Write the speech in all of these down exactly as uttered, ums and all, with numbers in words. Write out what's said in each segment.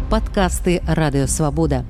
Падкасты Радыёвабода.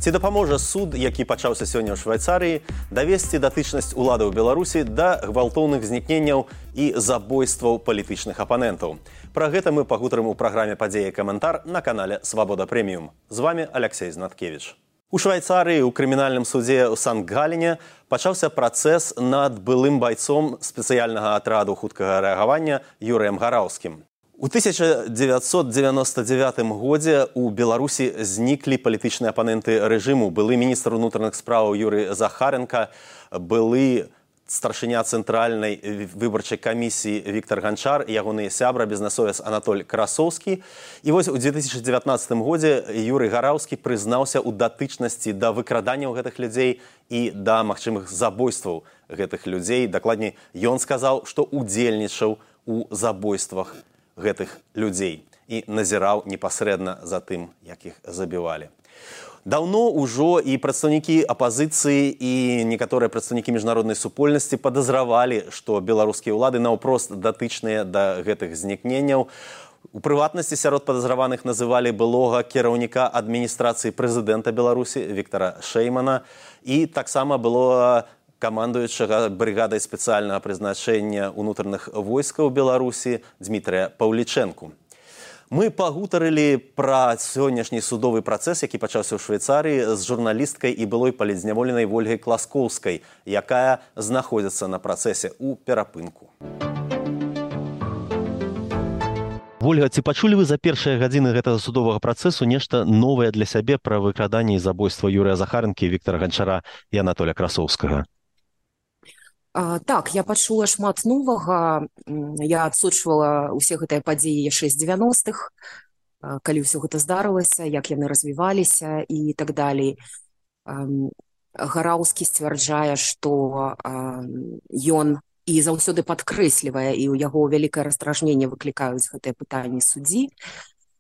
Ці дапаможа суд, які пачаўся сёння ў Швайцарыі, давесці датычнасць уладаў Беларусі да гвалтоўных знікненняў і забойстваў палітычных апанентаў. Пра гэта мы пагутарым у праграме «Падзеі і каментар» на канале «Свабода Прэміум». З вами Алексей Знаткевич. У Швайцарыі ў крымінальным судзе ў Санкт-Галіне пачаўся працэс над былым байцом спецыяльнага атраду хуткага рэагавання Юрыем Гараўскім. У тысяча дзевяцьсот дзевяноста дзевятым годзе ў Беларусі зніклі палітычныя апаненты рэжыму. Былы міністр унутраных спраў Юрый Захаренко, былы старшыня цэнтральнай выбарчай камісіі Віктор Ганчар, ягоныя сябра бізнэсовец Анатоль Красоўскі. І вось у две тысячи дзевятнаццатым годзе Юрый Гараўскі прызнаўся ў датычнасці да выкраданняў гэтых людзей і да магчымых забойстваў гэтых людзей. Дакладней, ён сказаў, што удзельнічаў у забойствах гэтых людзей і назіраў непасрэдна за тым, як іх забівалі. Даўно ўжо і прадстаўнікі апазіцыі і некаторыя прадстаўнікі міжнароднай супольнасці падазравалі, што беларускія ўлады наўпрост датычныя да гэтых знікненняў. У прыватнасці сярод падазраваных называлі былога кіраўніка адміністрацыі прэзідэнта Беларусі Віктора Шэймана і таксама было камандуючага брыгадай спецыяльнага прызначэння ўнутраных войскаў Беларусі Дмітрыя Паўлічэнку. Мы пагутарылі пра сённяшні судовы працэс, які пачаўся ў Швейцарыі, з журналісткай і былой палітзняволенай Вольгай Класкоўскай, якая знаходзіцца на працэсе ў перапынку. Вольга, ці пачулі вы за першыя гадзіны гэтага судовага працэсу нешта новае для сябе пра выкраданне і забойства Юрыя Захаренкі, Віктора Ганчара і Анатоля Красоўскага? А, так, я пачула шмат новага. Я адсочвала ўсе гэтыя падзеі яшчэ з дзевяностых, калі ўсё гэта здарылася, як яны развіваліся і так далей. Гараўскі сцвярджае, што ён і заўсёды падкрэслівае, і ў яго вялікае раздражненне выклікаюць гэтыя пытанні суддзі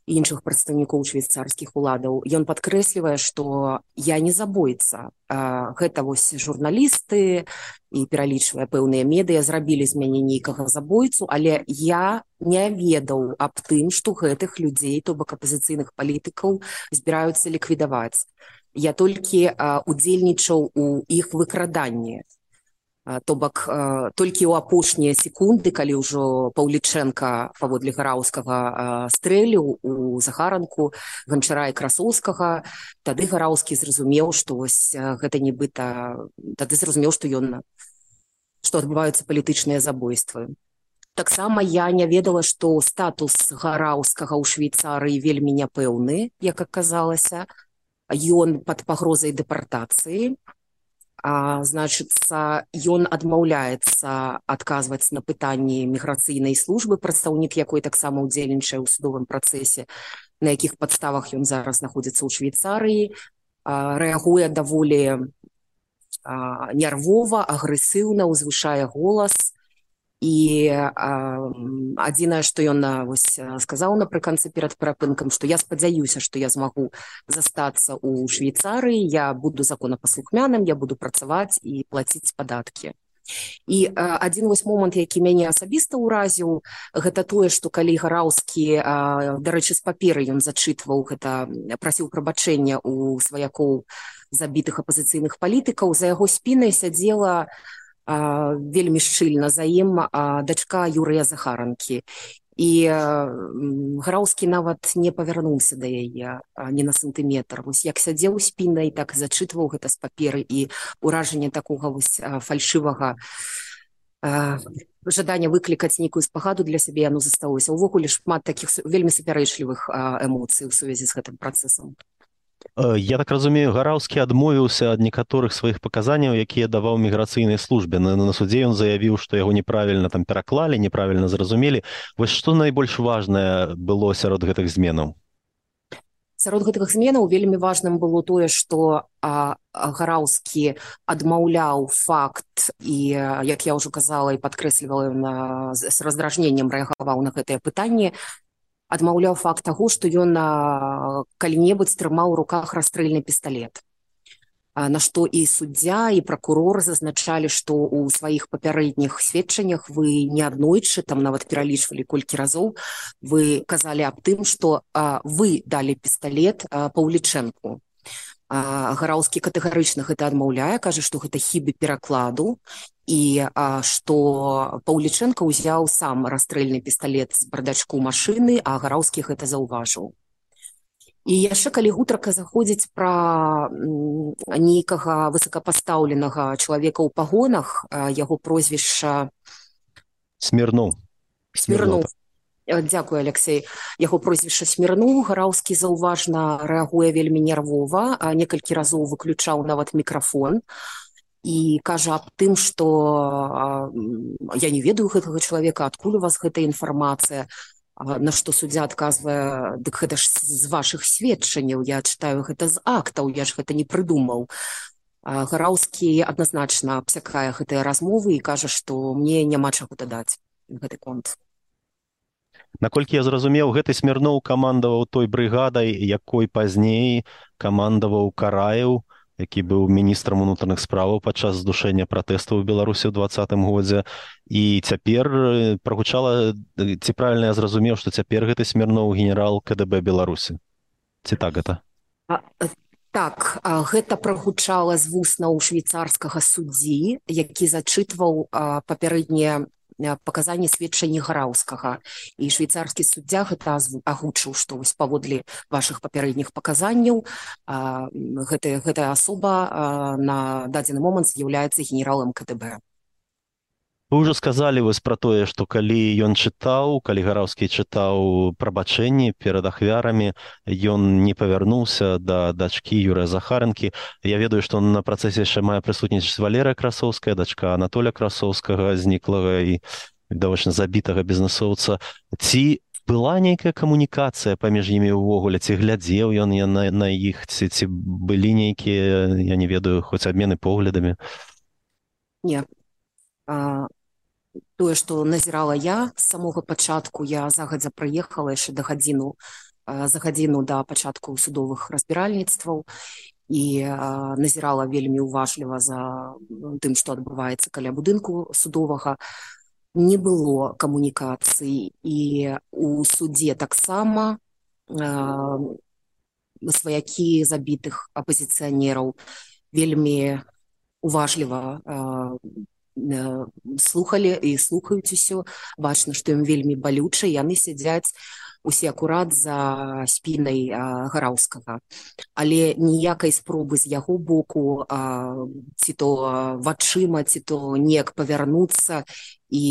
і іншых прадстаўнікоў швейцарскіх уладаў. Ён падкрэслівае, што я не забойца. Гэта вось журналісты і пералічвае пэўныя медыя зрабілі з мяне нейкага забойцу, але я не ведаў аб тым, што гэтых людзей, то бок апазіцыйных палітыкаў, збіраюцца ліквідаваць. Я толькі удзельнічаў у іх выкраданні. То бок, толькі ў апошнія секунды, калі ўжо Паўлічэнка паводле Гараўскага стрэліў у Захаранку, Ганчара і Красоўскага, тады Гараўскі зразумеў, што вось гэта нібыта, тады зразумеў, што ён, што адбываюцца палітычныя забойствы. Таксама я не ведала, што статус Гараўскага ў Швейцарыі вельмі няпэўны, як аказалася. Ён пад пагрозай дэпартацыі. А, значыцца, ён адмаўляецца адказваць на пытанні міграцыйнай службы, прадстаўнік якой таксама ўдзельнічае ў судовым працэсе, на якіх падставах ён зараз знаходзіцца ў Швейцарыі, а, рэагуе даволі а, нервова, агрэсіўна, узвышае голас. І а, адзінае, што ён вось, сказаў напрыканцы перад перапынкам, што я спадзяюся, што я змагу застацца ў Швейцарыі, я буду законапаслухмяным, я буду працаваць і плаціць падаткі. І а, адзін вось момант, які мяне асабіста ўразіў, гэта тое, што калі Гараўскі, а, дарэчы, з паперы ён зачытваў гэта, прасіў прабачэння ў сваякоў забітых апазіцыйных палітыкаў, за яго спінай сядзела А, вельмі шчыльна за ім а, дачка Юрыя Захаранкі. І а, Гараўскі нават не павярнуўся да яе а, ні на сантыметр. Вось як сядзеў спінай, так і зачытваў гэта з паперы, і ўражанне такога вось а, фальшывага а, жадання выклікаць нейкую спагаду для сябе яно засталося. Увогуле шмат такіх вельмі супярэчлівых а, эмоцый у сувязі з гэтым працэсам. Я так разумею, Гараўскі адмовіўся ад некаторых сваіх паказанняў, якія даваў міграцыйнай службе. На, на судзе ён заявіў, што яго неправільна там пераклалі, неправільна зразумелі. Вось што найбольш важнае было сярод гэтых зменаў? Сярод гэтых зменаў вельмі важным было тое, што а, Гараўскі адмаўляў факт і, як я ўжо казала і падкрэслівала, на, з раздражненнем рэагаваў на гэтыя пытанні, адмаўляў факт таго, што ён калі-небудзь трымаў у руках расстрэльны пісталет. на што і суддзя, і пракурор зазначалі, што ў сваіх папярэдніх сведчаннях вы неаднойчы, там нават пералічвалі колькі разоў, вы казалі аб тым, што вы далі пісталет Паўлічэнку. Гараўскі катэгарычна гэта адмаўляе, кажа, што гэта хібы перакладу, і што Паўлічэнка ўзяў сам расстрэльны пісталет з бардачку машыны, а Гараўскі гэта заўважыў. І яшчэ калі гутарка заходзіць пра нейкага высокапастаўленага чалавека ў пагонах, яго прозвішча Смірноў. Смірноў. Дзякую, Алексей. Яго прозвішча Смірноў. Гараўскі заўважна рэагуе вельмі нервова, некалькі разоў выключаў нават мікрафон і кажа аб тым, што я не ведаю гэтага чалавека, адкуль у вас гэтая інфармацыя. На што суддзя адказвае, дык гэта ж з вашых сведчанняў, я чытаю гэта з актаў, я ж гэта не прыдумаў. Гараўскі адназначна абсякае гэтыя размовы і кажа, што мне няма чаго дадаць гэты конт. Наколькі я зразумеў, гэты Смірноў камандаваў той брыгадай, якой пазней камандаваў Караеў, які быў міністрам унутраных справаў падчас здушэння пратэстаў у Беларусі ў двадцатым годзе. І цяпер прагучала, ці правільна я зразумеў, што цяпер гэты Смірноў генерал ка дэ бэ Беларусі. Ці так гэта? А, так, гэта прагучала з вуснаў швейцарскага суддзі, які зачытваў папярэднія паказанні сведчанні Гараўскага. І швейцарскі суддзя гэта агучыў, што вось паводле вашых папярэдніх паказанняў гэтая, гэтая асоба на дадзены момант з'яўляецца генералам ка дэ бэ. Вы ўжо сказалі вось пра тое, што калі ён чытаў, калі Гараўскі чытаў прабачэнні перад ахвярамі, ён не павярнуўся да дачкі Юрыя Захарэнкі. Я ведаю, што на працэсе яшчэ мае прысутнічаць Валерыя Красоўская, дачка Анатоля Красоўскага, зніклага і даволі забітага бізнесоўца. Ці была нейкая камунікацыя паміж імі ўвогуле? Ці глядзеў ён на, на іх? Ці, ці былі нейкія, я не ведаю, хоць абмены поглядамі? Не. А... Тое, што назірала я з самога пачатку, я загадзя прыехала яшчэ да гадзіну, за гадзіну да пачатку судовых разбіральніцтваў і назірала вельмі уважліва за тым, што адбываецца каля будынку судовага. Не было камунікацый, і у судзе таксама сваякі забітых апазіцыянераў вельмі уважліва слухалі і слухаюць усё. Бачна, што ім вельмі балюча, яны сядзяць усе акурат за спінай Гараўскага. Але ніякай спробы з яго боку ці то вачыма, ці то неяк павярнуцца, і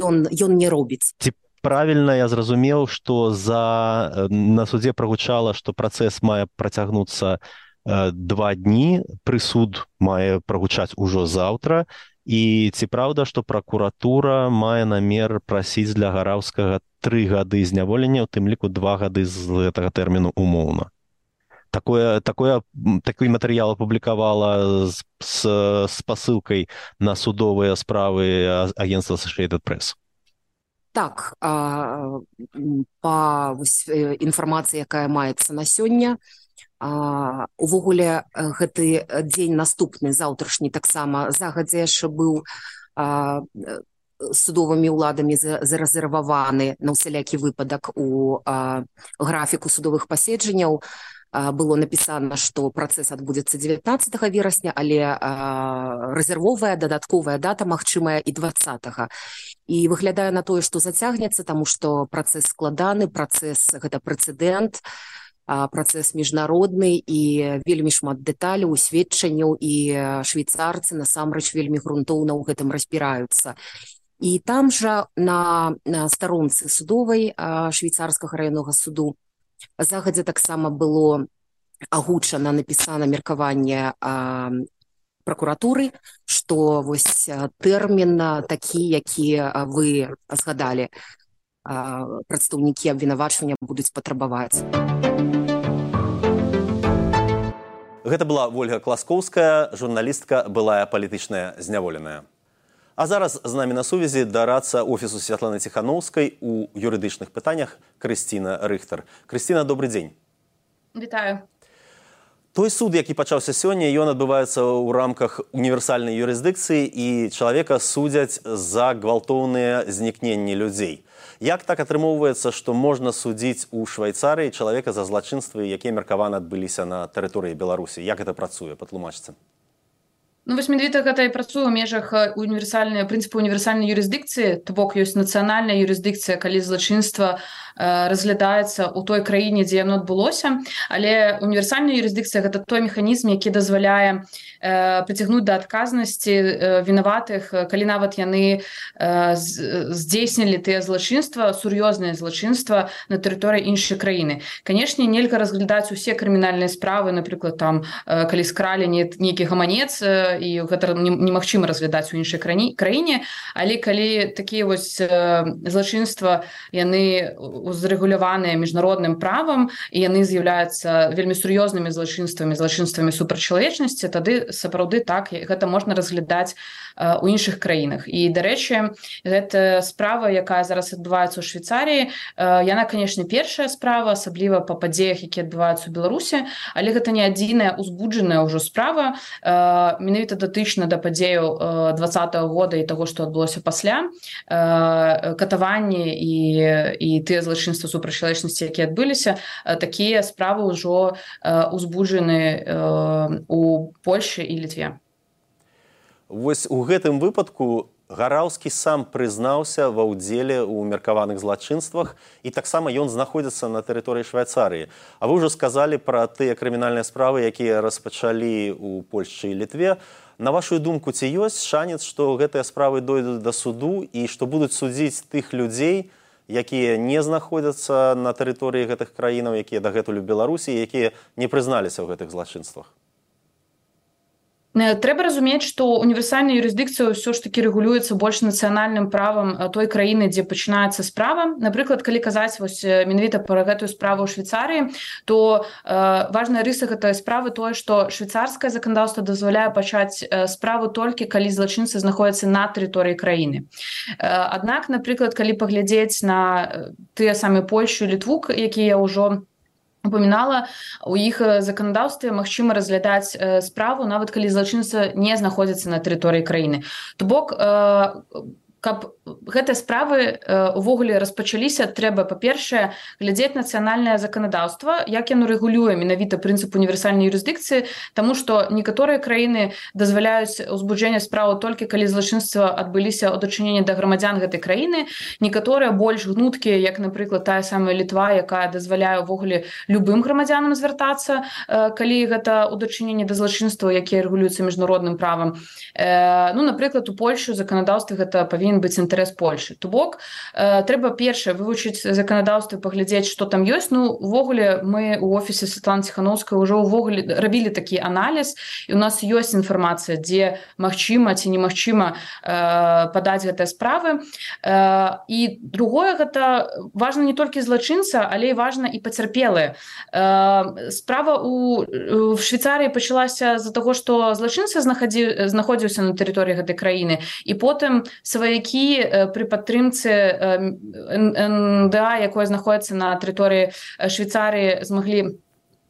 ён, ён не робіць. Ці правільна я зразумеў, што за... на судзе прагучала, што працэс мае працягнуцца два дні, прысуд мае прагучаць ужо заўтра, і ці праўда, што пракуратура мае намер прасіць для Гараўскага тры гады зняволення, у тым ліку два гады з гэтага тэрміну умоўна? Такое, такое, такі матэрыял апублікавала з, з спасылкай на судовыя справы агенцтва Associated Press. Так, па інфармацыі, якая маецца на сёння, Uh, увогуле гэты дзень наступны, заўтрашні, таксама загадзя яшчэ быў uh, судовымі ўладамі зарэзерваваны на ўсялякі выпадак у uh, графіку судовых паседжанняў. Uh, было напісана, што працэс адбудзецца дзевятнаццатага верасня, але uh, рэзервовая дадатковая дата магчымая і дваццатага. І выглядае на тое, што зацягнецца, таму што працэс складаны, працэс гэта прэцэдэнт, працэс міжнародны, і вельмі шмат дэталяў, сведчанняў, і швейцарцы насамрэч вельмі грунтоўна ў гэтым разбіраюцца. І там жа на, на старонцы судовай швейцарскага раённага суду загадзя таксама было агучана, напісана меркаванне пракуратуры, што вось тэрмін такі, які вы згадалі, прадстаўнікі абвінавачвання будуць патрабаваць. Гэта была Вольга Класкоўская, журналістка, былая палітычная зняволеная. А зараз з намі на сувязі дарадца офісу Святланы Ціхановскай у юрыдычных пытаннях Крысціна Рыхтар. Крысціна, добрый дзень. Вітаю. Той суд, які пачаўся сёння, ён адбываецца ў рамках універсальнай юрысдыкцыі і чалавека судзяць за гвалтоўныя знікненні людзей. Як так атрымоўваецца, што можна судзіць у Швайцарыі чалавека за злачынствы, якія меркавана адбыліся на тэрыторыі Беларусі? Як гэта працуе? Патлумачце. Ну, вось менавіта гэта і працуе ў межах універсальнай прынцыпу універсальнай юрысдыкцыі, то бок ёсць нацыянальная юрысдыкцыя, калі злачынства э, разглядаецца ў той краіне, дзе яно адбылося, але універсальная юрысдыкцыя гэта той механізм, які дазваляе э, прыцягнуць да адказнасці э, вінаватых, калі нават яны э, здзейснілі тыя злачынства, сур'ёзныя злачынства на тэрыторыі іншай краіны. Канешне, нельга разглядаць усе крымінальныя справы, напрыклад, там, э, калі скралі нейкі гаманец, і гэта немагчыма разглядаць у іншай краіне, але калі такія вось злачынства, яны узрэгуляваныя міжнародным правам, і яны з'яўляюцца вельмі сур'ёзнымі злачынствамі, злачынствамі супрацьчалавечнасці, тады сапраўды так, гэта можна разглядаць у іншых краінах. І, дарэчы, гэта справа, якая зараз адбываецца ў Швейцарыі, яна, канешне, першая справа, асабліва па падзеях, якія адбываюцца ў Беларусі, але гэта не адзіная узбуджаная ўжо справа, менавіта датычна да падзеяў двадцатага года і таго, што адбылося пасля, катаванні і, і тыя злачынствы супрацьчалавечнасці, якія адбыліся, такія справы ўжо узбуджаны у Польшчы і Літве. Вось у гэтым выпадку Гараўскі сам прызнаўся ва ўдзеле ў меркаваных злачынствах, і таксама ён знаходзіцца на тэрыторыі Швайцарыі. А вы ўжо сказалі пра тыя крымінальныя справы, якія распачалі ў Польшчы і Літве. На вашу думку, ці ёсць шанец, што гэтыя справы дойдуць да суду і што будуць судзіць тых людзей, якія не знаходзяцца на тэрыторыі гэтых краінаў, якія дагэтуль у Беларусі, якія не прызналіся ў гэтых злачынствах? Трэба разумець, што універсальная юрысдыкцыя ўсё ж такі рэгулюецца больш нацыянальным правам той краіны, дзе пачынаецца справа. Напрыклад, калі казаць вось менавіта пра гэтую справу ў Швейцарыі, то э, важная рыса гэтай справы тое, што швейцарскае заканадаўства дазваляе пачаць э, справу толькі, калі злачынцы знаходзяцца на тэрыторыі краіны. Э, аднак, напрыклад, калі паглядзець на тыя самыя Польшчу і Літву, якія ўжо упамінала, у іх заканадаўстве магчыма разглядаць э, справу, нават калі злачынца не знаходзіцца на тэрыторыі краіны. То бок, э, каб гэтыя справы увогуле распачаліся, трэба, па-першае, глядзець нацыянальнае заканадаўства, як яно рэгулюе менавіта прынцып універсальнай юрысдыкцыі, таму што некаторыя краіны дазваляюць узбуджэнне справы толькі калі злачынства адбыліся ў дачыненні да грамадзян гэтай краіны, некаторыя больш гнуткія, як, напрыклад, тая самая Літва, якая дазваляе ўвогуле любым грамадзянам звяртацца, калі гэта ў дачыненні да злачынства, якія рэгулююцца міжнародным правам. Ну, напрыклад, у Польшчы заканадаўстве гэта павінен быць інтарэс Польшчы. То бок, э, трэба першае вывучыць заканадаўства, паглядзець, што там ёсць. Ну, увогуле, мы ў офісе Святланы Ціханаўскай ўжо ўвогуле рабілі такі аналіз, і у нас ёсць інфармацыя, дзе магчыма ці немагчыма э, падаць гэтыя справы. Э, і другое, гэта важна не толькі злачынца, але і важна і пацярпелыя. Э, справа у, у Швейцарыі пачалася з-за таго, што злачынца знаходзіў, знаходзіўся на тэрыторыі гэтай краіны, і потым сваякі пры падтрымцы эн дэ а, якое знаходіцца на тэрыторыі Швейцарыі, змаглі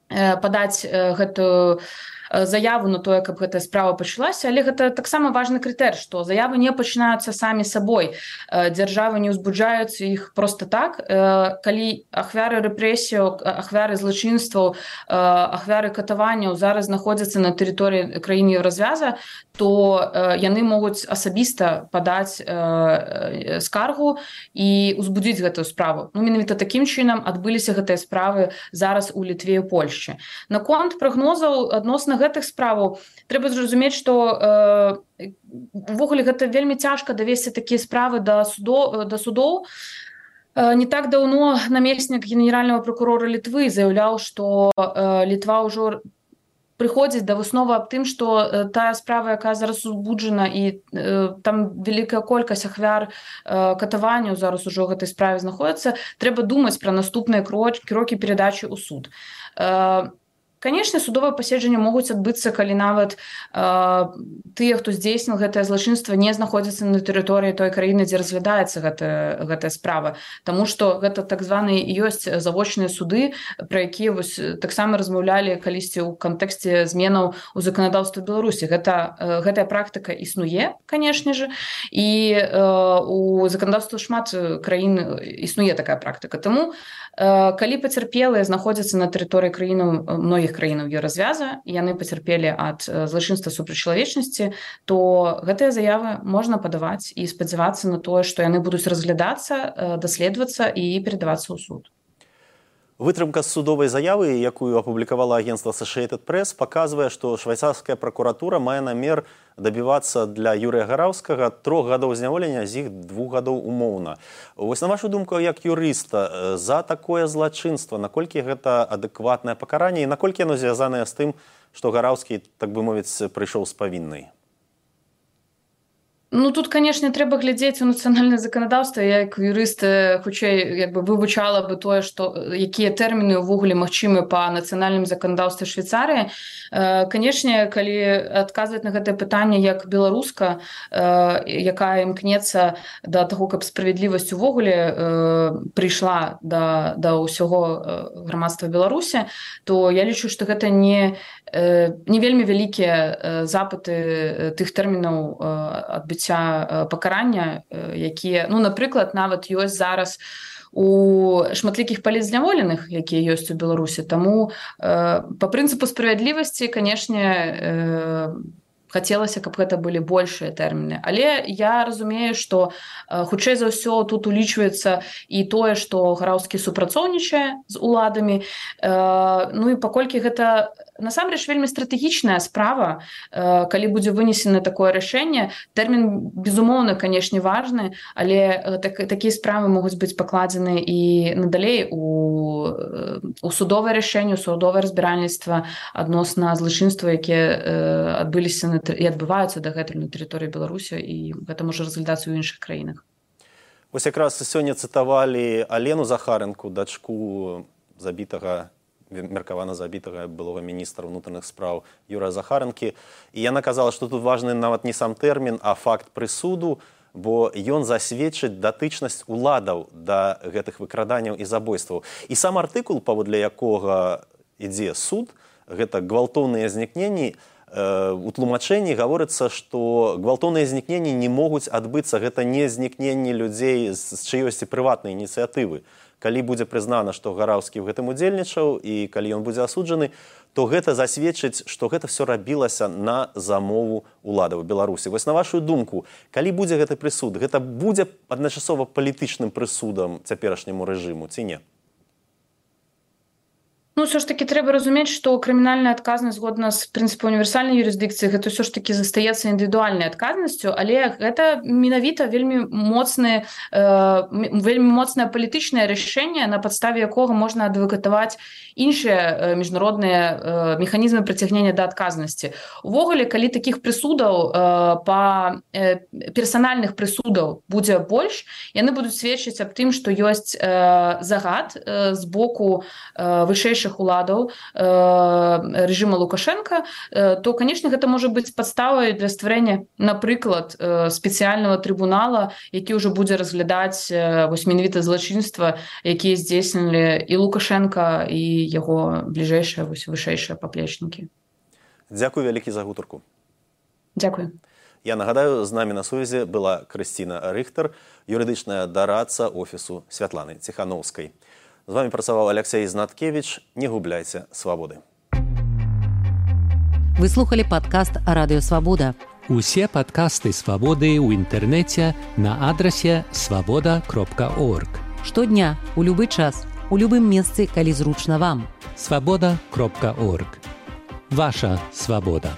падаць гэтую заяву на тое, каб гэтая справа пачалася, але гэта таксама важны крытэр, што заявы не пачынаюцца самі сабой. Дзяржавы не ўзбуджаюць іх проста так. Калі ахвяры рэпрэсіяў, ахвяры злачынстваў, ахвяры катаванняў зараз знаходзяцца на тэрыторыі краіны Еўразвяза, то яны могуць асабіста падаць скаргу і ўзбудзіць гэтую справу. Ну, менавіта такім чынам адбыліся гэтыя справы зараз у Літве і Польшчы. Наконт прагнозаў адносна гэтых справаў трэба зразумець, што э, увогуле гэта вельмі цяжка давесці такія справы да судоў, да судоў. Э, не так даўно намеснік генеральнага прокурора Літвы заяўляў, што э, Літва ўжо прыходзіць да высновы аб тым, што э, тая справа, якая зараз узбуджана, і э, там вялікая колькасць ахвяр э, катаванняў зараз ужо ў гэтай справе знаходзіцца, трэба думаць пра наступныя крокі, крокі перадачы ў суд. Э, Канешне, судовыя паседжанні могуць адбыцца, калі нават э, тыя, хто здзейсніў гэтае злачынства, не знаходзяцца на тэрыторыі той краіны, дзе разглядаецца гэтая, гэтая справа. Таму што гэта так званыя ёсць завочныя суды, пра якія вось таксама размаўлялі калісьці ў кантэксце зменаў у заканадаўстве Беларусі. Гэта, э, гэтая практыка існуе, канешне же, і э, у заканадаўстве шмат краін існуе такая практыка. Таму, э, калі пацярпелыя знаходзяцца на тэрыторыі краінаў, многіх краінаў еўразвяза, яны пацярпелі ад злачынства супраць чалавечнасці, то гэтыя заявы можна падаваць і спадзявацца на тое, што яны будуць разглядацца, даследавацца і перадавацца ў суд. Вытрымка з судовай заявы, якую апублікавала агенцтва Associated Press, паказвае, што швайцарская пракуратура мае намер дабівацца для Юрыя Гараўскага трох гадоў зняволення, з іх двух гадоў умоўна. Вось на вашу думку, як юрыста, за такое злачынства, наколькі гэта адэкватнае пакаранне і наколькі яно звязанае з тым, што Гараўскі, так бы мовіць, прыйшоў з павіннай? Ну, тут, канешне, трэба глядзець у нацыянальнае заканадаўства. Я, як юрыст, хутчэй як бы вывучала бы тое, што якія тэрміны ўвогуле магчымы па нацыянальным заканадаўстве Швейцарыі. Канешне, калі адказваць на гэтае пытанне як беларуска, якая імкнецца да таго, каб справядлівасць увогуле прыйшла да, да ўсяго грамадства Беларусі, то я лічу, што гэта не, не вельмі вялікія запыты тых тэрмінаў адбыцця пакарання, якія, ну, напрыклад, нават ёсць зараз у шматлікіх палітзняволеных, якія ёсць у Беларусі. Таму э, па прынцыпу справядлівасці, канешне, э, хацелася, каб гэта былі большыя тэрміны. Але я разумею, што э, хутчэй за ўсё тут улічваецца і тое, што Гараўскі супрацоўнічае з уладамі. Э, ну і паколькі гэта насамрэч вельмі стратэгічная справа, э, калі будзе вынесена такое рашэнне, тэрмін, безумоўна, канешне, важны, але так, такія справы могуць быць пакладзены і надалей у, у судовае рашэнне, у судовае разбіральніцтва адносна злачынства, якія э, адбыліся на і адбываюцца дагэтуль на тэрыторыі Беларусі, і гэта можа разглядацца ў іншых краінах. Вось якраз сёння цытавалі Алену Захаренку, дачку забітага, меркавана забітага былога міністра ўнутраных спраў Юрыя Захаренкі. І яна казала, што тут важны нават не сам тэрмін, а факт прысуду, бо ён засведчыць датычнасць уладаў да гэтых выкраданняў і забойстваў. І сам артыкул, паводле якога ідзе суд, гэта гвалтоўныя знікненні, у тлумачэнні гаворыцца, што гвалтоўныя знікненні не могуць адбыцца, гэта не знікненні людзей з чыёсьці прыватнай ініцыятывы. Калі будзе прызнана, што Гараўскі ў гэтым удзельнічаў і калі ён будзе асуджаны, то гэта засведчыць, што гэта все рабілася на замову уладаў Беларусі. Вось на вашу думку, калі будзе гэты прысуд, гэта будзе адначасова палітычным прысудам цяперашняму рэжыму, ці не? Ну, ўсё ж таки трэба разумець, што крымінальная адказнасць згодна з прынцыпам універсальнай юрысдыкцыі гэта ўсё ж таки застаецца індывідуальнай адказнасцю, але гэта менавіта вельмі моцны, э, вельмі моцнае палітычнае рашэнне, на падставе якога можна адвакатаваць іншыя міжнародныя э, механізмы прыцягнення да адказнасці. Увогуле, калі такіх прысудаў э, па э, персанальных прысудаў будзе больш, яны будуць сведчыць аб тым, што ёсць э, загад э, з боку э, вышэйшых уладаў э, рэжыма Лукашенка, э, то, канешне, гэта можа быць падставай для стварэння, напрыклад, э, спецыяльнага трыбунала, які ўжо будзе разглядаць э, вось менавіта злачынства, якія здзейснілі і Лукашенка, і яго бліжэйшыя, вось вышэйшыя паплечнікі. Дзякуй вялікі за гутарку. Дзякуй. Я нагадаю, з намі на сувязі была Крысціна Рыхтар, юрыдычная дарадца офісу Святланы Ціхановскай. З вами працаваў Алексей Знаткевич. Не губляйце свабоды. Вы слухали падкаст Радыё Свабода. Усе падкасты Свабоды ў інтэрнэце на адрасе свабода кропка орг. Штодня, у любы час, у любым месцы, калі зручна вам. свабода кропка орг. Ваша свабода.